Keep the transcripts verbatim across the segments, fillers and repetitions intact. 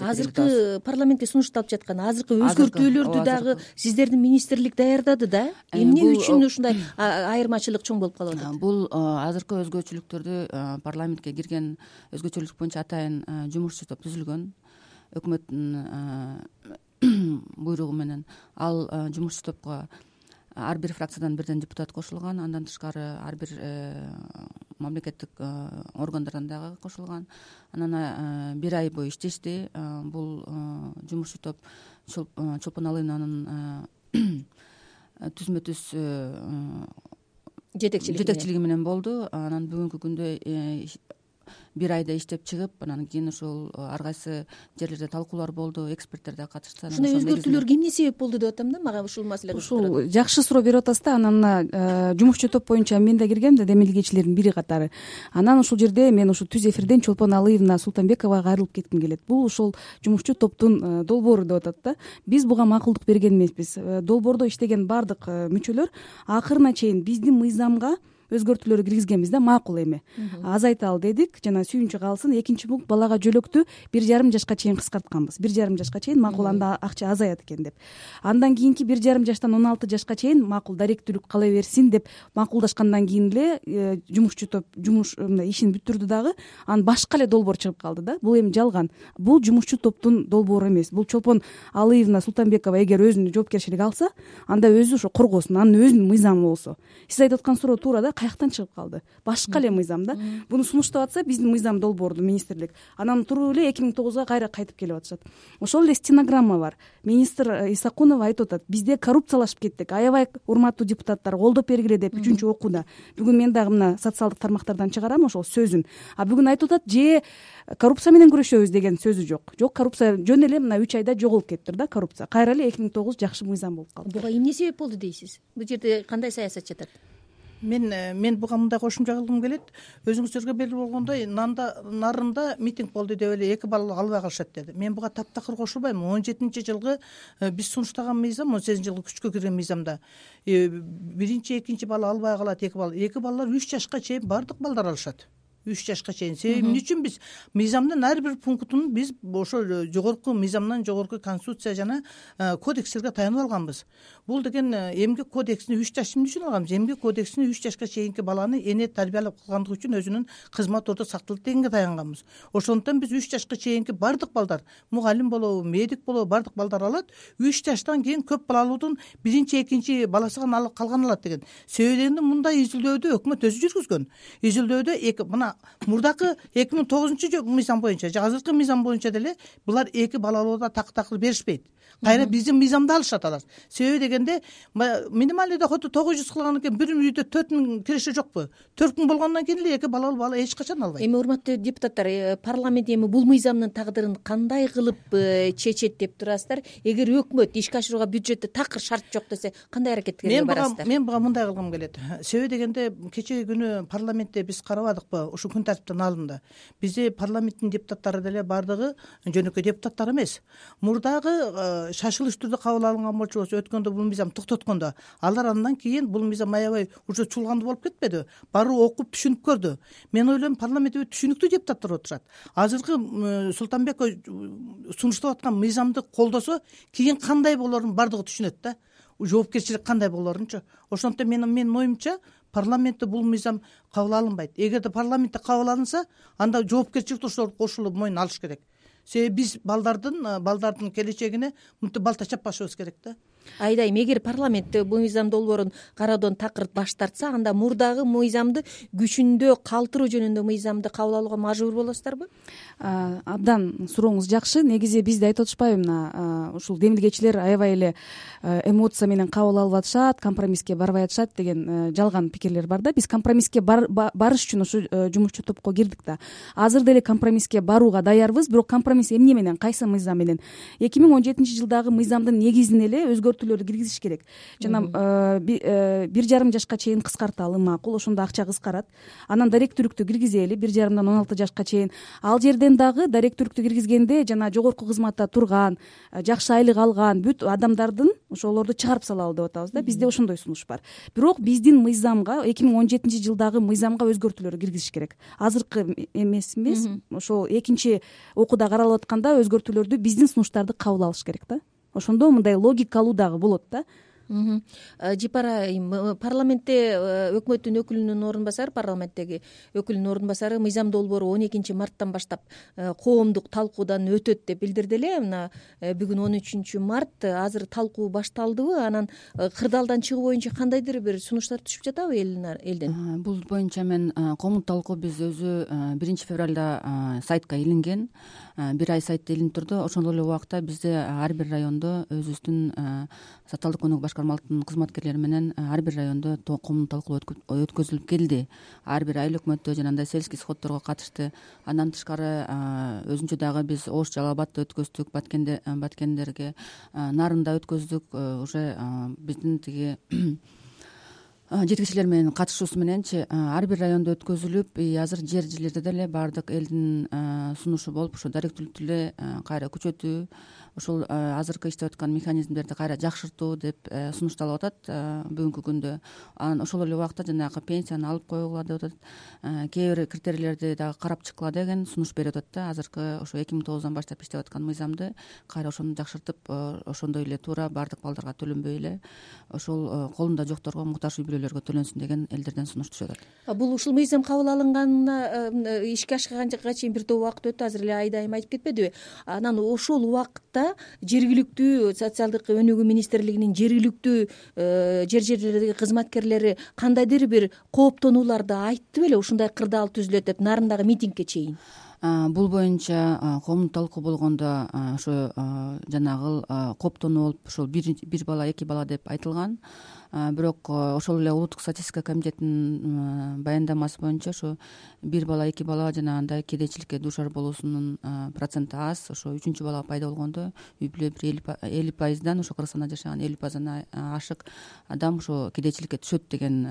азыркы парламентке сунушталып жаткан азыркы өзгөртүүлөрдү дагы сиздердин министрлик даярдады да, эмне үчүн ушундай айырмачылык чоң болуп калып атат? Бул азыркы өзгөчөлүктөрдү парламентке кирген өзгөчөлүк боюнча атайын жумушчу топ түзүлгөн, өкмөттүн буйругу менен ал жумушчу топко ар бир фракциядан бирден депутат кошулган, андан тышкары ар бир мамлекеттик органдардан дагы кошулган. Анан бир ай бою иштешти. Бул жумушчу топ Чолпон Алыйнанын түзмө түз жетекчилиги менен болду. Анан бүгүнкү күндө бир айда иштеп чыгып, анан кийин ошол ар кайсы жерлерде талкуулар болду, эксперттер да катышты. Ушундай өзгөртүүлөргө эмне себеп болду деп атам да, мага ушул маселе. Ушул жакшы суроо берип атасыз да. Анан жумушчу топ боюнча мен да киргем да, демилгечилердин бири катары. Анан ушул жерде мен ушу түз эфирден Чолпон Алыевна Султанбековага кайрылып кетким келет. Бул ошол жумушчу топтун долбоору деп атат да. Биз буга макулдук берген эмеспиз. Долбоордо иштеген баардык мүчөлөр акырына чейин биздин мыйзамга өзгөртүүлөр киргизгенбиз да, макул эми азайталы дедик, жана сүйүнчү калсын. Экинчи пункт, балага жөлөктү бир жарым жашка чейин кыскартканбыз. Бир жарым жашка чейин макул, анда акча азаят экен деп. Андан кийинки бир жарым жаштан он алты жашка чейин макул, даректүүлүк кала берсин деп макулдашкандан кийин эле жумушчу топ жумуш ишин бүтүрдү дагы. Анан башка эле долбоор чыгып калды да. Бул эми жалган. Бул жумушчу топтун долбоору эмес. Бул Чолпон Алыевна Султанбекова эгер өзүнүн жоопкерчилик алса, анда өзү ошо коргосун, анын өзүнүн мыйзамы болсо. Сиз айтып аткан суроо туура да, каяктан чыгып калды? Башка эле мыйзам да. Буну сунуштап атса биздин мыйзам долбоорду министрлик, анан туруп эле эки миң тогузга кайра кайтып келип атышат. Ошол эле стенограмма бар. Министр Исакунова айтып атат: бизде коррупциялашып кеттик, аябай урматтуу депутаттар, колдоп бергиле деп үчүнчү окууда. Бүгүн мен дагы мына социалдык тармактардан чыгарам ошол сөзүн. А бүгүн айтып атат: же коррупция менен күрөшөбүз деген сөзү жок. Жок, коррупция жөн эле мына үч айда жоголуп кетиптир да, коррупция. Кайра эле эки миң тогуз жакшы мыйзам болуп калды. Буга эмне себеп болду дейсиз? Бул жерде кандай саясат жатат? Мен мен буга мындай кошумча кылгым келет. Өзүңүздөргө белгилүү болгондой, нанда нарында митинг болду деп эле эки балл албай калышат деди. Мен буга таптакыр кошулбайм. он жетинчи жылгы биз сунуштаган мыйзам, он сегизинчи жылгы күчкө кирген мыйзамда биринчи, экинчи балл албай калат, эки балл. Эки баллар үч жашка чейин баардык балдар алышат. үч жашка чейин. Себеби эмне үчүн биз мыйзамдын ар бир пунктун биз ошол жогорку мыйзамдан, жогорку конституция жана кодекстерге таянып алганбыз. Бул деген эмгек кодексине үч жаш эмне үчүн алганбыз? Эмгек кодексине үч жашка чейинки баланы эне тарбиялап кылгандыгы үчүн өзүнүн кызмат ордо сакталат дегенге таянганбыз. Ошондуктан биз үч жашка чейинки баардык балдар, мугалим болобу, медик болобу, баардык балдар алат. үч жаштан кийин көп балалуудун биринчи, экинчи баласы гана калган алат деген. Себеби дегенде мындай изилдөөдү өкмөт өзү жүргүзгөн. Изилдөөдө эки мына мурдакы эки миң тогузунчу мыйзам боюнча, азыркы мыйзам боюнча деле булар эки балалууда так-такыр беришпейт. Кайра биздин мыйзамды алышат алар. Себеби дегенде минималдуу доходу тогуз жүз кылган экен, бир үйдө төрт миң киреше жокпу? төрт миң болгондон кийин эле эки балалуу бала эч качан албайт. Эми урматтуу депутаттар, парламент эми бул мыйзамдын тагдырын кандай кылып чечет деп турасыздар? Эгер өкмөт ишке ашырууга бюджетте такыр шарт жок десе, кандай аракетке барасыздар? Мен буга мындай кылгым келет. Себеби дегенде кечеги күнү парламентте биз карабадыкпы ушу күн тартиптин алында? Бизде парламенттин депутаттары деле баардыгы жөнөкөй депутаттар эмес. Мурдагы шашылыш түрдө кабыл алынган болчу болсо, өткөндө бул мыйзам токтоткондо, алар андан кийин бул мыйзам аябай уже чулгандуу болуп кетпеди? Баруу окуп түшүнүп көрдү. Мен ойлойм, парламентте түшүнүктүү депутаттар отурат. Азыркы Султанбеков сунуштап аткан мыйзамды колдосо, кийин кандай болорун баардыгы түшүнөт да. Жоопкерчилик кандай болорунчу. Ошондуктан менин менин оюмча, парламентте бул мыйзам кабыл алынбайт. Эгерде парламентте кабыл алынса, анда жоопкерчиликти ошолор кошулуп мойнуна алыш керек. Себеби биз балдардын балдардын келечегине мынтип балта чаппашыбыз керек да. Айдайм, эгер парламент бул мыйзам долбоорун кароодон такыр баш тартса, анда мурдагы мыйзамды күчүндө калтыруу жөнүндө мыйзамды кабыл алууга мажбур болосуздарбы? Абдан сурооңуз жакшы. Негизи бизди айтып атышпайбы, мына ушул демилгечилер аябай эле эмоция менен кабыл алып атышат, компромисске барбай атышат деген жалган пикирлер бар да. Биз компромисске барыш үчүн ушу жумушчу топко кирдик да. Азыр деле компромисске барууга даярбыз, бирок компромисс эмне менен, кайсы мыйзам менен? эки миң он жетинчи жылдагы мыйзамдын негизин эле өзгөртүү өзгөртүүлөрдү киргизиш керек. Жана бир жарым жашка чейин кыскарталы макул, ошондо акча кыскарат. Анан даректүүлүктү киргизели бир жарымдан он алты жашка чейин. Ал жерден дагы даректүүлүктү киргизгенде жана жогорку кызматта турган, жакшы айлык алган бүт адамдардын ошолорду чыгарып салалы деп атабыз да. Бизде ошондой сунуш бар. Бирок биздин мыйзамга эки миң он жетинчи жылдагы мыйзамга өзгөртүүлөр киргизиш керек. Азыркы эмес эмес ошол экинчи окууда каралып атканда өзгөртүүлөрдү биздин сунуштарды кабыл алыш керек да. Ошондо мындай логикалуу дагы болот да. Жипар айым, парламентте өкмөттүн өкүлүнүн орун басары, парламенттеги өкүлүнүн орун басары мыйзам долбоору он экинчи марттан баштап коомдук талкуудан өтөт деп билдирди эле. Мына бүгүн он үчүнчү март, азыр талкуу башталдыбы? Анан кырдаалдан чыгуу боюнча кандайдыр бир сунуштар түшүп жатабы элден? Бул боюнча мен коомдук талкуу биз өзү биринчи февралда сайтка илинген, бир ай сайтта илинип турду. Ошондой эле убакта бизде ар бир райондо өзүбүздүн социалдык өнүгүү башкармалыктын кызматкерлери менен ар бир райондо коомдук талкуу өткөзүлүп келди. Ар бир айыл өкмөттө жанагындай сельский сходторго катышты. Андан тышкары өзүнчө дагы биз Ош, Жалал Абадта өткөздүк, Баткендерге, Нарында өткөздүк. Уже биздин тиги жетекчилер менен катышуусу мененчи ар бир райондо өткөзүлүп, азыр жер жерлерде деле баардык элдин сунушу болуп, ошо даректүүлүктү эле кайра күчөтүү, ошол азыркы иштеп аткан механизмдерди кайра жакшыртуу деп сунушталып атат бүгүнкү күндө. Анан ошол эле убакта жанагы пенсияны алып коюула деп атат, кээ бир критерийлерди дагы карап чыккыла деген сунуш берип атат да. Азыркы ошо эки миң тогуздан баштап иштеп аткан мыйзамды кайра ошону жакшыртып, ошондой эле туура баардык балдарга төлөнбөй эле ошол колунда жокторго, муктаж үй бүлөлөргө төлөнсүн деген элдерден сунуш түшүп атат. Бул ушул мыйзам кабыл алынганына ишке ашканга чейин бир топ убакыт өттү, азыр эле айда айым айтып кетпедиби? Анан ошол убакытта жергиликтүү социалдык өнүгүү министрлигинин жергиликтүү жер жерлердеги кызматкерлери кандайдыр бир кооптонууларды айтты беле, ушундай кырдаал түзүлөт деп, Нарындагы митингке чейин? Бул боюнча коомдук талкуу болгондо ошо жанагы кооптонуу болуп, ошол бир бала, эки бала деп айтылган. Бирок ошол эле улуттук статистика комитетинин баяндамасы боюнча ошо бир бала, эки бала жанагындай кедейчиликке дуушар болуусунун проценти аз. Ошо үчүнчү бала пайда болгондо үй бүлө бир элүү пайыздан, ошо Кыргызстанда жашаган элүү пайыздан ашык адам ошо кедейчиликке түшөт деген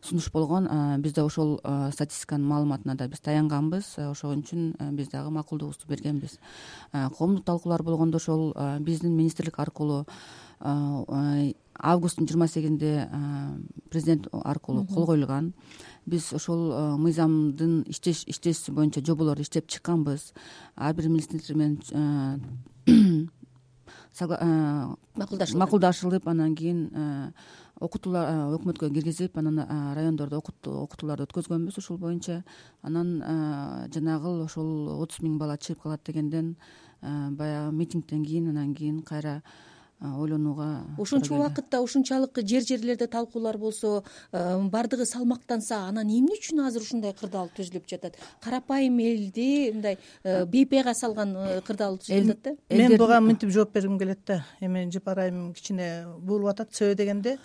сунуш болгон. Бизде ошол статистиканын маалыматына да биз таянганбыз. Ошон үчүн биз дагы макулдугубузду бергенбиз. Коомдук талкуулар болгондо ошол биздин министрлик аркылуу августтун жыйырма сегизинде президент аркылуу кол коюлган. Биз ошол мыйзамдын иштеш иштеши боюнча жоболорду иштеп чыкканбыз. Ар бир министрлик менен макулдашылып, анан кийин окутуулар өкмөткө киргизип, анан райондордо окутууларды өткөзгөнбүз ушул боюнча. Анан жанагы ошол отуз миң бала чыгып калат дегенден баягы митингден кийин, анан кийин кайра ойлонууга. Ошончо убакытта ушунчалык жер жерлерде талкуулар болсо, бардыгы салмактанса, анан эмне үчүн азыр ушундай кырдаал түзүлүп жатат? Карапайым элди мындай бейпайга салган кырдаал түзүлүп атат да. Мен буга мынтип жооп бергим келет да. Эми Жипар айым кичине буулуп атат. Себеби дегенде,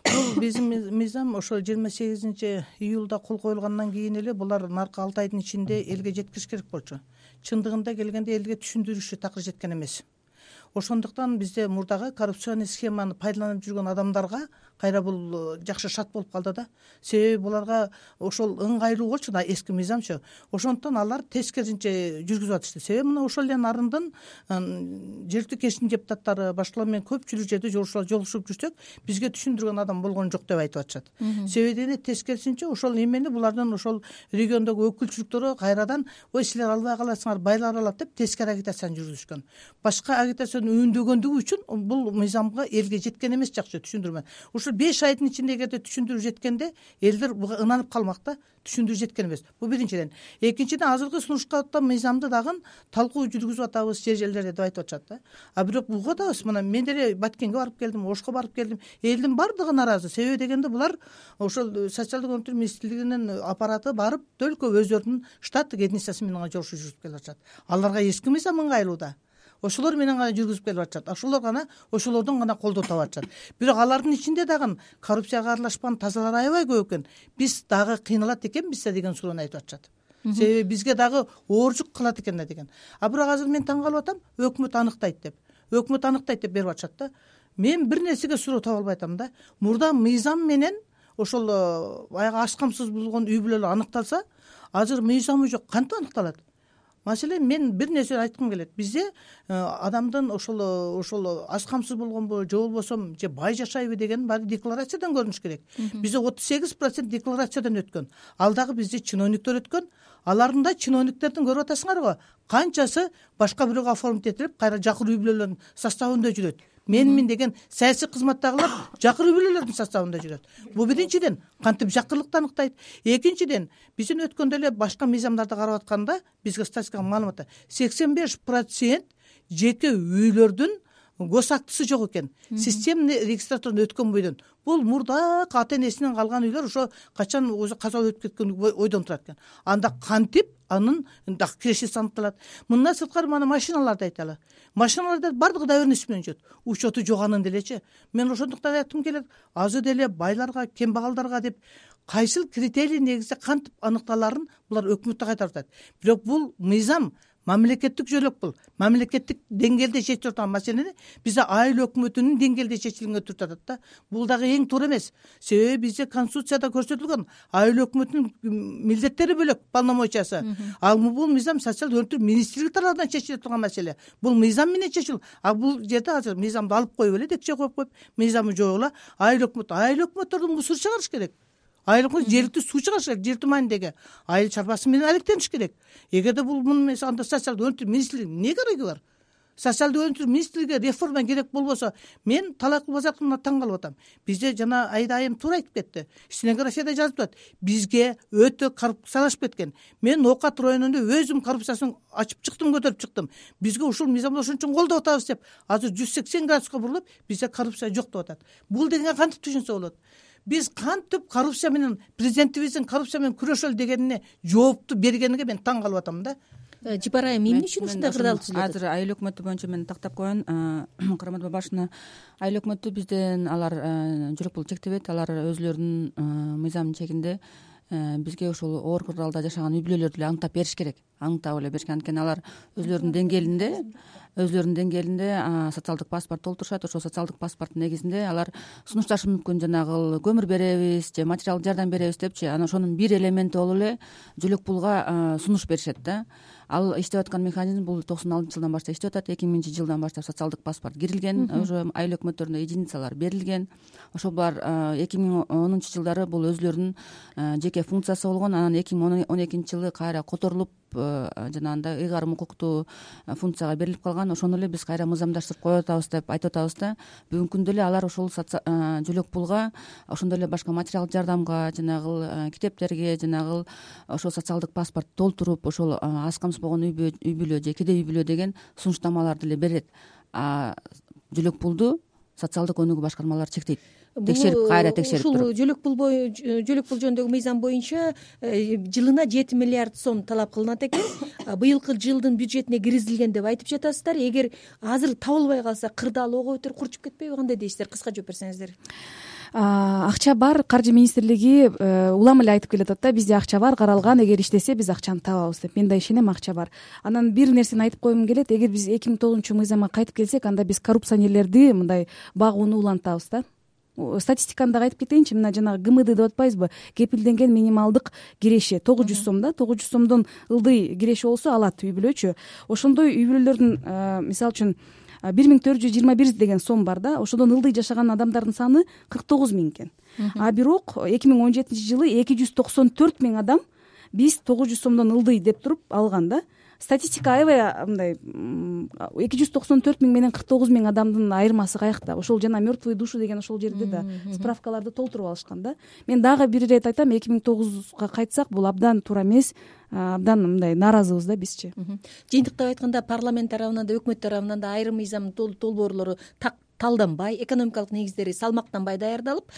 бул биздин мыйзам ошо жыйырма сегизинчи июлда кол коюлгандан кийин эле булар наркы алты айдын ичинде элге жеткириш керек болчу. Чындыгында келгенде элге түшүндүрүшү такыр жеткен эмес. Ошондуктан бизде мурдагы коррупционный схеманы пайдаланып жүргөн адамдарга кайра бул жакшы шарт болуп калды да. Себеби буларга ошол ыңгайлуу болчу да эски мыйзамчы. Ошондуктан алар тескерисинче жүргүзүп атышты. Себеби мына ошол эле Нарындын жергиликтүү кеңештин депутаттары башкалар менен көпчүлүк жерде жолугушуп жүрсөк, бизге түшүндүргөн адам болгон жок деп айтып атышат. Себеби дегенде тескерисинче ошол эмени булардын ошол региондогу өкүлчүлүктөрү кайрадан ой силер албай каласыңар, байлар алат деп тескери агитацияны жүргүзүшкөн. Башка агитацияны үндөгөндүгү үчүн бул мыйзамга элге жеткен эмес жакшы түшүндүрмө. Ушул беш айдын ичинде эгерде түшүндүрүп жеткенде элдер буга ынанып калмак да, түшүндүрүп жеткен эмес. Бул биринчиден. Экинчиден, азыркы сунуштарда мыйзамды дагы талкуу жүргүзүп атабыз жер жерлерде деп айтып атышат да. А бирок буга атабыз, мына мен деле Баткенге барып келдим, Ошко барып келдим. Элдин бардыгы нааразы. Себеби дегенде булар ошол социалдык өнүгүү министрлигинин аппараты барып төлкө өздөрүнүн штаттык единицасы менен жолугушуп жүрүп келип атышат. Аларга эски мыйзам ыңгайлуу да. Ошолор менен гана жүргүзүп келип атышат. Ошолор гана ошолордон гана колдоо таап атышат. Бирок алардын ичинде дагы коррупцияга аралашкан тазалар аябай көп экен. Биз дагы кыйналат экенбиз да деген суроону айтып атышат. Себеби бизге дагы ооржук кылат экен да деген. А бирок азыр мен таң калып атам, өкмөт аныктайт деп. Өкмөт аныктайт деп берип атышат да. мен бир нерсеге суроо таба албай атам да. Мурда мыйзам менен ошол баягы аш камсыз болгон үй бүлөлөр аныкталса, азыр мыйзамы жок, кантип аныкталат? Маселен, мен бир нерсе айткым келет. Бизде адамдын ошол ошол аш камсыз болгонбу же болбосо же бай жашайбы деген баары декларациядан көрүнүш керек. Бизде отуз сегиз процент декларациядан өткөн. Ал дагы бизде чиновниктер өткөн. Алардын да чиновниктердин көрүп атасыңар го, канчасы башка бирөөгө оформить этилип, кайра жакыр үй бүлөлөрдүн составында жүрөт. Менмин деген саясий кызматтагылар жакыр үй бүлөлөрдүн составында жүрөт. Бул биринчиден кантип жакырлыкты аныктайт. Экинчиден, биздин өткөндө эле башка мыйзамдарды карап атканда бизге статистикалык маалыматта сексен беш процент жеке үйлөрдүн гос актысы жок экен. Системный регистратурдан өткөн бойдон. Бул мурдакы ата энесинен калган үйлөр ошо качан өзү каза өтүп кеткен ойдон турат экен. Анда кантип анын дагы кирешеси аныкталат. Мындан сырткары мана машиналарды айталы. Машиналарда бардыгы доверенность менен жүрөт. Учету жок анын делечи. Мен ошондуктан айткым келет, азыр деле байларга, кембагалдарга деп кайсыл критерий негизде кантип аныкталарын булар өкмөттө кайтарып атат. Бирок бул мыйзам мамлекеттик жөлөк, бул мамлекеттик деңгээлде чечилип турган маселени бизде айыл өкмөтүнүн деңгээлде чечилгенге туртуп атат да. Бул дагы эң туура эмес. Себеби бизде конституцияда көрсөтүлгөн айыл өкмөтүнүн милдеттери бөлөк, полномочиясы. Ал бул мыйзам социалдык өнүктүрүү министрлиги тарабынан чечилип турган маселе. Бул мыйзам менен чечил. А бул жерде азыр мыйзамды алып коюп эле, декче коюп коюп, мыйзамы жок эле айыл өкмөт, айыл өкмөттөрдүн мусор чыгарыш керек. Айыл өкмөт жергиликтүү суу чыгарыш керек, жер маанидеги айыл чарбасы менен алектениш керек. Эгерде бул муну анда социалдык өнүктүрүү министрлиги эмне кереги бар? Социалдык өнүктүрүү министрлиги реформа керек болбосо, мен талакул базардын таң калып атам. Бизде жана Айда айым туура айтып кетти. Стенографияда жазып атат. Бизге өтө коррупциялашып кеткен. Мен оокат районунда өзүм коррупциясын ачып чыктым, көтөрүп чыктым. Бизге ушул мыйзамды ошон үчүн колдоп атабыз деп, азыр жүз сексен градуска бурулуп, бизде коррупция жок деп атат. Бул дегенге кантип түшүнсө болот? Биз кантип коррупция менен, президентибиздин коррупция менен күрөшөлү дегенине жоопту бергениге мен таң калып атам да. Жипар айым, эмне үчүн ушундай кырдаал түзүлөт? Азыр айыл өкмөтү боюнча мен тактап коеюн. Курмат башына айыл өкмөтү бизден алар жүрөк бул чектебейт. Алар өзүлөрүнүн мыйзамдын чегинде бизге ошол оор кырдаалда жашаган үй бүлөлөрдү эле аныктап бериш керек. Аныктап эле бериш керек. Анткени алар өзүлөрүнүн деңгээлинде өзүлөрүнүн деңгээлинде социалдык паспорт толтурушат. Ошол социалдык паспорттун негизинде алар сунушташы мүмкүн, жанагы көмүр беребиз же материалдык жардам беребиз депчи. Анан ошонун бир элементи болуп эле жөлөк пулга сунуш беришет да. Ал иштеп аткан механизм бул токсон алтынчы жылдан баштап иштеп атат. эки миңинчи жылдан баштап социалдык паспорт кирилген, уже айыл өкмөттөрүнө единицалар берилген. Ошол булар эки миң онунчу жылдары бул өзүлөрүнүн жеке функциясы болгон. Анан эки миң он экинчи жылы кайра которулуп, жанагындай ыйгарым укуктуу функцияга берилип калган. Ошону эле биз кайра мыйзамдаштырып коюп атабыз деп айтып атабыз да. Бүгүнкү күндө эле алар ошол жөлөк пулга, ошондой эле башка материалдык жардамга, жанагы китептерге, жанагы ошол социалдык паспорт толтуруп, ошол аз камсыз болгон үй бүлө же кедей үй бүлө деген сунуштамаларды эле берет. А жөлөк пулду социалдык өнүгүү башкармалары чектейт. Текшерип, кайра текшерип туруп. Ушул жөлөк пул жөлөк пул жөнүндөгү мыйзам боюнча жылына жети миллиард сом талап кылынат экен. Быйылкы жылдын бюджетине киргизилген деп айтып жатасыздар. Эгер азыр табылбай калса, кырдаал ого бетер курчуп кетпейби? Кандай дейсиздер? Кыска жооп берсеңиздер. Акча бар, каржы министрлиги улам эле айтып келатат да, бизде акча бар, каралган, эгер иштесе биз акчаны табабыз деп. Мен да ишенем, акча бар. Анан бир нерсени айтып койгум келет. Эгер биз эки миң тогузунчу мыйзамга кайтып келсек, анда биз коррупционерлерди мындай багууну улантабыз да. Статистиканы дагы айтып кетейинчи. Мына жанагы ГМД деп атпайбызбы? Кепилденген минималдык киреше тогуз жүз сом да. тогуз жүз сомдон ылдый киреше болсо алат үй бүлөчү. Ошондой үй бүлөлөрдүн мисалы үчүн бир миң төрт жүз жыйырма бир деген сом бар да. Ошодон ылдый жашаган адамдардын саны кырк тогуз миң экен. А бирок эки миң он жетинчи жылы эки жүз токсон төрт миң адам биз тогуз жүз сомдон ылдый деп туруп алган да. Статистика аябай мындай эки жүз токсон төрт миң менен кырк тогуз миң адамдын айырмасы каякта? Ошол жана мертвые души деген ошол жерде да справкаларды толтуруп алышкан да. Мен дагы бир ирет айтам, эки миң тогузга кайтсак бул абдан туура эмес, абдан мындай нааразыбыз да бизчи. Жыйынтыктап айтканда, парламент тарабынан да өкмөт тарабынан да айрым мыйзам долбоорлору так талданбай, экономикалык негиздери салмактанбай даярдалып,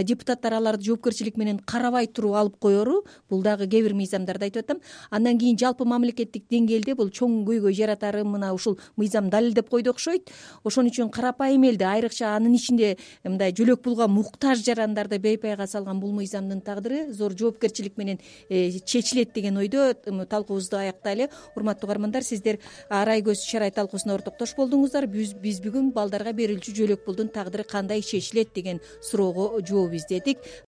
депутаттар аларды жоопкерчилик менен карабай туруп алып коеру. Бул дагы кээ бир мыйзамдарды айтып атам. Андан кийин жалпы мамлекеттик деңгээлде бул чоң көйгөй жаратары мына ушул мыйзам далилдеп койду окшойт. Ошон үчүн карапайым элди, айрыкча анын ичинде мындай жөлөк пулга муктаж жарандарды бейпайга салган бул мыйзамдын тагдыры зор жоопкерчилик менен чечилет деген ойдо талкуубузду аяктайлы. Урматтуу угармандар, сиздер Арай көз чарай талкуусуна ортоктош болдуңуздар. Биз бүгүн балдарга берилчү жөөлөкпулдун тагдыры кандай чечилет деген суроого жооп издедик.